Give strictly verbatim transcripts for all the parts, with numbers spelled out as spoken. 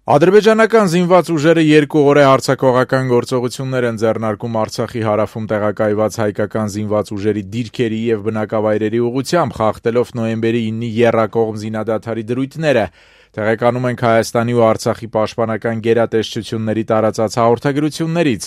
Ադրբեջանական զինված ուժերը երկու օր է հարձակողական գործողություններ են ձեռնարկում Արցախի հարավում տեղակայված հայկական զինված ուժերի դիրքերի եւ բնակավայրերի ուղղությամբ, խախտելով նոյեմբերի իննի եռակողմ զինադադարի դրույթները։ Տեղեկանում ենք Հայաստանի ու Արցախի պաշտպանական գերատեսչությունների տարածած հաղորդագրություններից։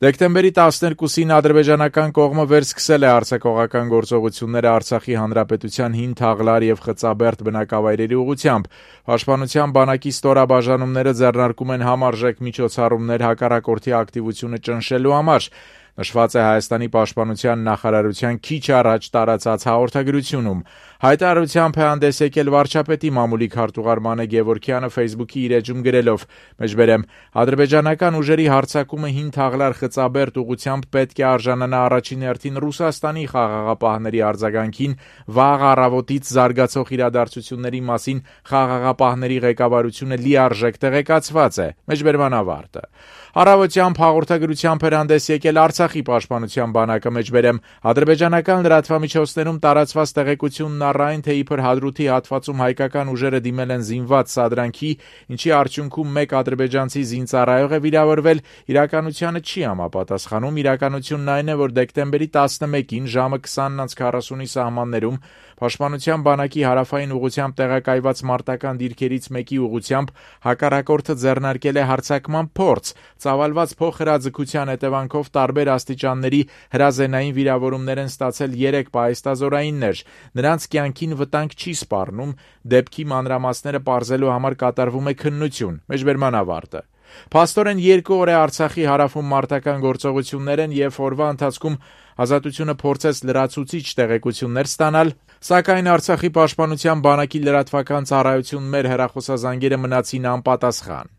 Դեկտեմբերի տասներկուսին ադրբեջանական կողմը վերսկսել է հարձակողական գործողությունները Արցախի հանրապետության հին Թաղլար եւ Խծաբերդ բնակավայրերի ուղղությամբ։ Պաշտպանության բանակի ստորաբաժանումները ձեռնարկում են համարժեք միջոցառումներ հակառակորդի ակտիվությունը ճնշելու համար։ Նշված է Հայաստանի պաշտպանության նախարարության քիչ առաջ տարածած հաղորդագրությունում։ Հայտարարությամբ է հանդես եկել վարչապետի մամուլի քարտուղար Մանե Գևորգյանը Facebook-ի իր էջում գրելով. «Մեջբերեմ, ադրբեջանական ուժերի հարձակումը հին Թաղլար Խծաբերդ ուղղությամբ պետք է արժանանա առաջին հերթին Ռուսաստանի խաղաղապահների արձագանքին, վաղ առավոտից զարգացող իրադարձությունների մասին խաղաղապահների ղեկավարությունը լիարժեք տեղեկացված է»։ Մեջբերման ավարտը։ Առավոտյան հաղորդագրությամբ էր հանդես եկել Արցախի պաշտպանության բանակը, մեջբերեմ, ադրբեջանական լրատվամիջոցներում տարածված տեղեկությունն առ այն, թե իբր Հադրութի հատվածում հայկական ուժերը դիմել են զինված սադրանքի, ինչի արդյունքում մեկ ադրբեջանցի զինծառայող է վիրավորվել, իրականությանը չի համապատասխանում։ Իրականությունն այն է, որ դեկտեմբերի տասնմեկին ժամը քսանն քառասունի սահմաններում Պաշտպանության բանակի հարավային ուղղությամբ տեղակայված մարտական դիրքերից մեկի ուղղությամբ հակառակորդը ձեռնարկել է հարձակման փորձ։ Ծավալված փոխհրաձգության հետևանքով տարբեր աստիճանների հրազենային վիրավորումներ են ստացել երեք պահեստազորայիններ։ Նրանց կյանքին վտանգ չի սպառնում, դեպքի մանրամասները պարզելու համար կատարվում է քննություն։ Մեջբերման ավարտը։ Փաստորեն երկու օր է Արցախի հարավում մարտական գործողություններ են եւ օրվա ընթացքում Ազատությունը փորձեց լրացուցիչ տեղեկություններ ստանալ, սակայն Արցախի պաշտպանության բանակի լրատվական ծառայություն մեր հեռախոսազանգերը մնացին անպատասխան։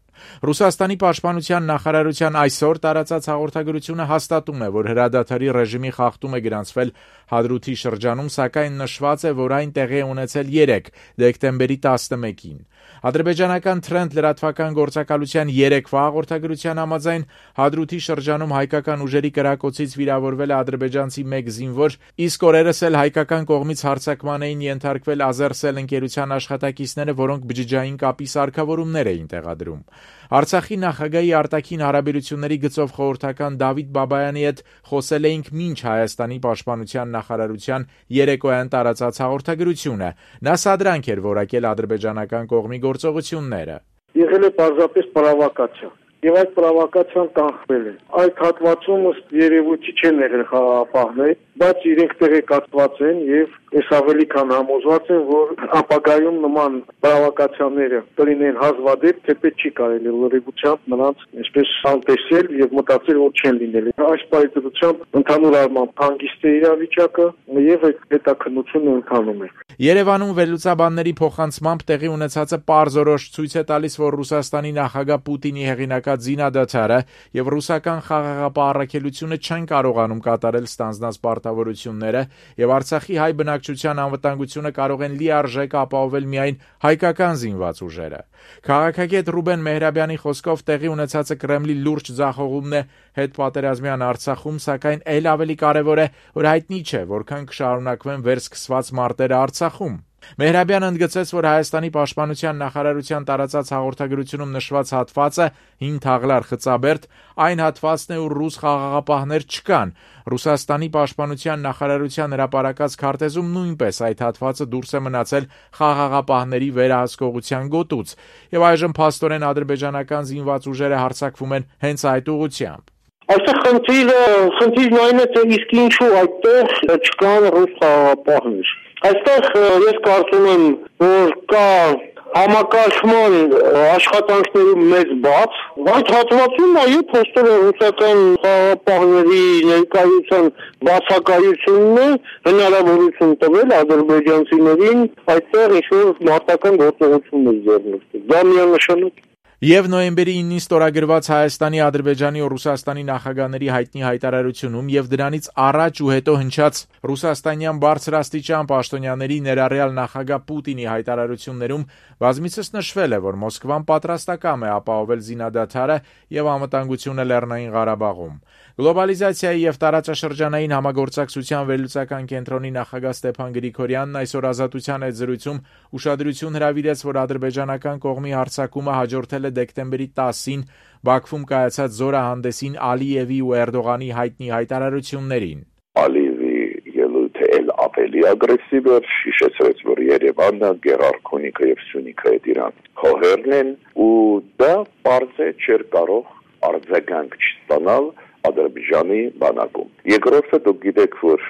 Ռուսաստանի պաշտպանության նախարարության այսօր տարածած հաղորդագրությունը հաստատում է, որ հրադադարի ռեժիմի խախտում է գրանցվել Հադրութի շրջանում, սակայն նշված է, որ այն տեղի է ունեցել երեկ, դեկտեմբերի տասնմեկին։ Ադրբեջանական Թրենդ լրատվական գործակալության երեկվա հաղորդագրության համաձայն Հադրութի շրջանում հայկական ուժերի կրակոցից վիրավորվել է ադրբեջանցի մեկ զինվոր, իսկ օրերս էլ հայկական կողմից հարձակման էին ենթարկվել Ազերսել ընկերության աշխատակիցները, որոնք բջջային կապի սարքավորումներ էին տեղադրում։ Արցախի նախագահի արտաքին հարաբերությունների գծով խորհրդական Դավիթ Բաբայանի հետ խոսել էինք մինչ Հայաստանի պաշտպանության նախարարության երեկոյան տարածած հաղորդագրությունը։ Նա սադրանք էր որակել ադրբեջանական կողմի գործողությունները։ Եղել է պարզապես պրովոկացիա, եւ այդ պրովոկացիան կանխվել է։ Այդ հատվածում ըստ երևույթի չեն եղել խաղաղապահներ, բայց իրենք տեղեկացված են եւ ես ավելի քան համոզված եմ, որ ապագայում նման պրովոկացիաները կլինեն հազվադեպ, թեպետ չի կարելի լրիվությամբ նրանց այսպես անտեսել եւ մտածել, որ չեն լինել։ Այս պայծառությամբ ընդհանուր առմամբ հանգիստ է իրավիճակը եւ այդ հետաքննությունը ընթանում է։ Երևանում վերլուծաբանների փոխանցմամբ տեղի ունեցածը պարզորոշ ցույց է տալիս, որ Ռուսաստանի նախագահ Պուտինի հեղինակած զինադադարը եւ ռուսական խաղաղապահ առաքելությունը չեն կարողանում կատարել ստանձնած պարտավորությունները եւ Արցախի հայ բնակչության անվտանգությունը կարող են լիարժեք ապահովել միայն հայկական զինված ուժերը։ Քաղաքագետ Ռուբեն Մեհրաբյանի խոսքով տեղի ունեցածը Կրեմլի լուրջ ձախողումն է հետպատերազմյան Արցախում, սակայն ել ավելի կարևոր է, որ հայտնի չէ, որքան կշարունակվեն վերսկսված մարտերը Արցախում։ Մեհրաբյանը ընդգծեց, որ Հայաստանի պաշտպանության նախարարության տարածած հաղորդագրությունում նշված հատվածը հին Թաղլար Խծաբերդ այն հատվածն է, ուր ռուս խաղաղապահներ չկան։ Ռուսաստանի պաշտպանության նախարարության հրապարակած քարտեզում նույնպես այդ հատվածը դուրս է մնացել խաղաղապահների վերահսկողության գոտուց, եւ այժմ փաստորեն ադրբեջանական զինված ուժերը հարձակվում են հենց այդ ուղղությամբ։ Այստեղ խնդիրը, խնդիրն այն է, թե իսկ ինչու այդտեղ չկան ռուս խաղաղապահներ։ Այստեղ ես կարծում եմ, որ կա համակարգման աշխատանքների մեծ բաց, այդ հատվածում այո փոստերը ռուսական խաղաղապահների ներկայության բացակայությունն է հնարավորություն տվել ադրբեջանցիներին այդտեղ ինչ-որ մարտական գործողություններ ձեռնարկել։ Դա միանշանակ։ Եվ նոյեմբերի իննին ստորագրված Հայաստանի, Ադրբեջանի ու Ռուսաստանի նախագահների հայտնի հայտարարությունում եւ դրանից առաջ ու հետո հնչած ռուսաստանյան բարձրաստիճան պաշտոնյաների ներառյալ նախագահ Պուտինի հայտարարություններում բազմիցս նշվել է, որ Մոսկվան պատրաստակամ է ապահովել զինադադարը եւ անվտանգությունը Լեռնային Ղարաբաղում։ Գլոբալիզացիայի եւ տարածաշրջանային համագործակցության վերլուծական կենտրոնի նախագահ Ստեփան Գրիգորյանն այսօր Ազատության հետ զրույցում ուշադրություն հրավիրեց, որ ադրբեջանական կողմի հարձակումը հաջորդել մասնակցել է դեկտեմբերի տասին Բաքվում կայացած զորահանդեսին Ալիևի ու Էրդողանի հայտնի հայտարարություններին։ Ալիևի ելույթը էլ ավելի ագրեսիվ էր, հիշեցրեց, որ Երևանը, Գեղարքունիքը եւ Սյունիքը այդ իրան հողերն են, ու դա պարզ է չէր կարող արձագանք չստանալ Ադրբեջանի բանակում։ Երկրորդը դուք գիտեք, որ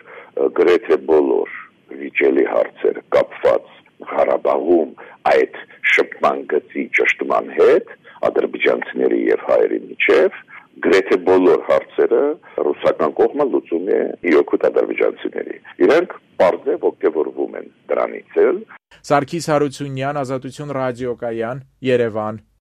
գրեթե բոլոր վիճելի հարցերը կապված Ղարաբաղում այդ շփման գծի ճշտման հետ ադրբեջանցիների եւ հայերի միջև գրեթե բոլոր հարցերը ռուսական կողմը լուծում է իօքուտ ադրբեջանցիների։ Իրենք պարզ է ոգևորվում են դրանից էլ։ Սարգիս Հարությունյան, Ազատություն ռադիոկայան, Երևան։